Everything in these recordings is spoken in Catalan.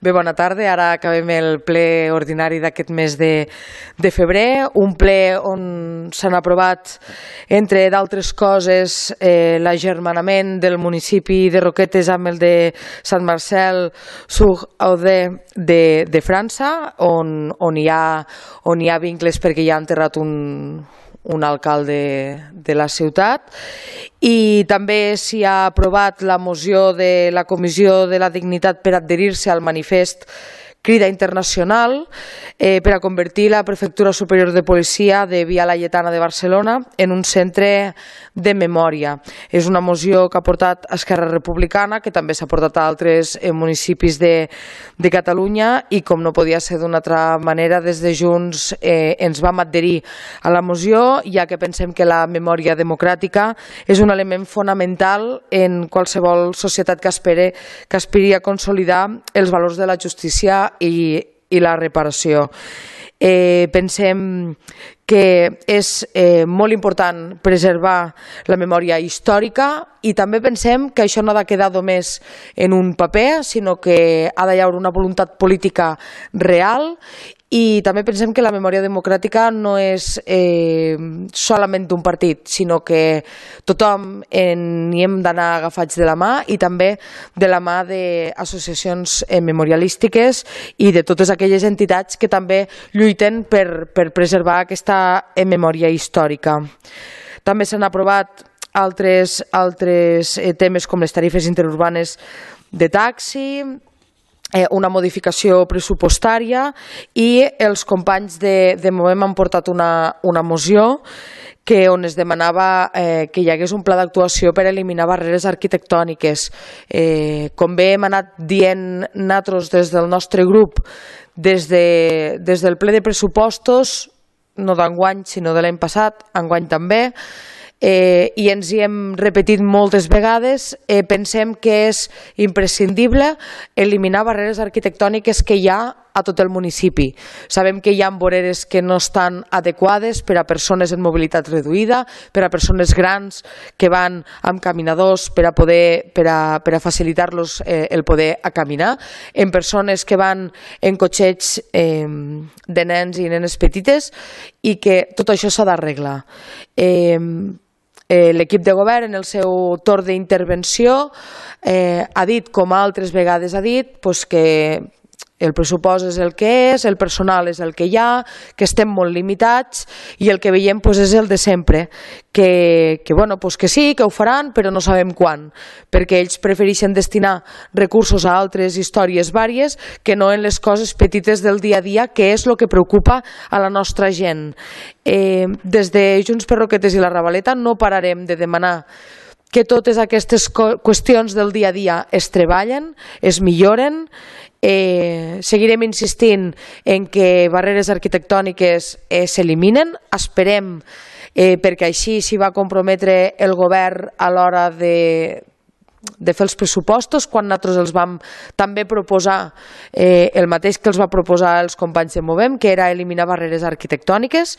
Bé, bona tarda. Ara acabem el ple ordinari d'aquest mes de febrer, un ple on s'han aprovat, entre d'altres coses, l'agermanament del municipi de Roquetes amb el de Sant Marcel sur Aude de França, on hi ha vincles perquè hi ha enterrat un alcalde de la ciutat, i també s'hi ha aprovat la moció de la Comissió de la Dignitat per adherir-se al manifest Crida Internacional per a convertir la Prefectura Superior de Policia de Via Laietana de Barcelona en un centre de memòria. És una moció que ha portat Esquerra Republicana, que també s'ha portat a altres municipis de Catalunya, i com no podia ser d'una altra manera, des de Junts ens vam adherir a la moció, ja que pensem que la memòria democràtica és un element fonamental en qualsevol societat que aspiri a consolidar els valors de la justícia i la reparació. Pensem que és molt important preservar la memòria històrica, i també pensem que això no ha de quedar només en un paper, sinó que ha d'hi haver una voluntat política real. I també pensem que la memòria democràtica no és solament d'un partit, sinó que tothom n'hi hem d'anar agafats de la mà, i també de la mà d'associacions memorialístiques i de totes aquelles entitats que també lluiten per preservar aquesta memòria històrica. També s'han aprovat altres temes com les tarifes interurbanes de taxi, una modificació pressupostària, i els companys de Movem han portat una moció on es demanava que hi hagués un pla d'actuació per eliminar barreres arquitectòniques. Com bé hem anat dient nosaltres des del nostre grup des del ple de pressupostos, no d'enguany sinó de l'any passat, enguany també, i ens hi hem repetit moltes vegades, pensem que és imprescindible eliminar barreres arquitectòniques que hi ha a tot el municipi. Sabem que hi ha voreres que no estan adequades per a persones en mobilitat reduïda, per a persones grans que van amb caminadors per a facilitar-los el poder a caminar, en persones que van en cotxets de nens i nenes petites, i que tot això s'ha d'arreglar. L'equip de govern, en el seu torn d'intervenció, ha dit, com altres vegades ha dit, que el pressupost és el que és, el personal és el que hi ha, que estem molt limitats, i el que veiem és el de sempre, que sí, que ho faran, però no sabem quan, perquè ells prefereixen destinar recursos a altres històries vàries que no en les coses petites del dia a dia, que és el que preocupa a la nostra gent. Des de Junts per Roquetes i la Ravaleta no pararem de demanar que totes aquestes qüestions del dia a dia es treballen, es milloren. Seguirem insistint en que barreres arquitectòniques s'eliminen. Esperem, perquè així s'hi va comprometre el govern a l'hora de fer els pressupostos, quan nosaltres els vam també proposar el mateix que els va proposar els companys de Movem, que era eliminar barreres arquitectòniques.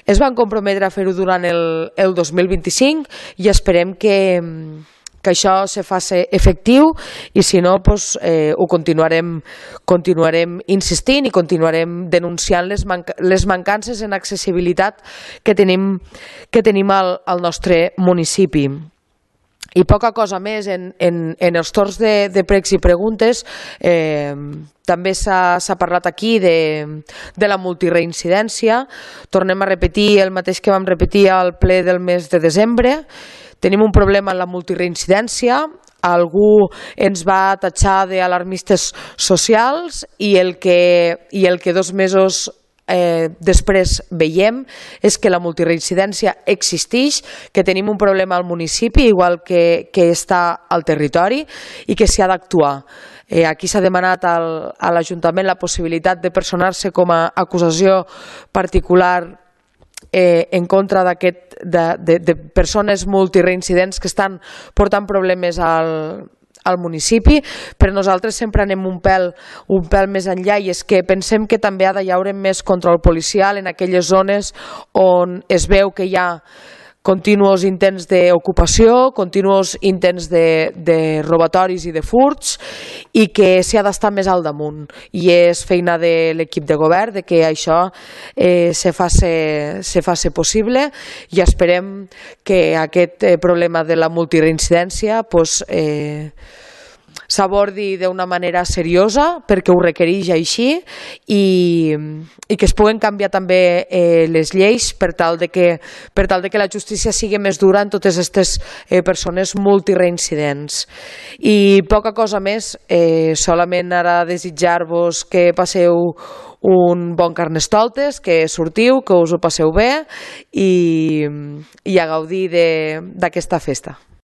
Es van comprometre a fer-ho durant el 2025, i esperem que això se faci efectiu, i si no ho continuarem insistint i continuarem denunciant les mancances en accessibilitat que tenim al nostre municipi. I poca cosa més. En els torns de pregs i preguntes també s'ha parlat aquí de la multireincidència. Tornem a repetir el mateix que vam repetir al ple del mes de desembre. Tenim un problema en la multireincidència. Algú ens va tatxar d'alarmistes socials, i el que 2 mesos després veiem és que la multireincidència existeix, que tenim un problema al municipi igual que està al territori, i que s'hi ha d'actuar. Aquí s'ha demanat a l'Ajuntament la possibilitat de personar-se com a acusació particular en contra de persones multireincidents que estan portant problemes al municipi, però nosaltres sempre anem un pèl més enllà, i és que pensem que també ha d'hi haver més control policial en aquelles zones on es veu que hi ha continuos intents d'ocupació, continuos intents de robatoris i de furts, i que s'hi ha d'estar més al damunt. I és feina de l'equip de govern de que això se faci possible, i esperem que aquest problema de la multireincidència s'abordi d'una manera seriosa, perquè ho requereix així, i que es puguen canviar també les lleis per tal de que la justícia sigui més dura en totes aquestes persones multireincidents. I poca cosa més, solament ara desitjar-vos que passeu un bon Carnestoltes, que sortiu, que us ho passeu bé i a gaudir d'aquesta festa.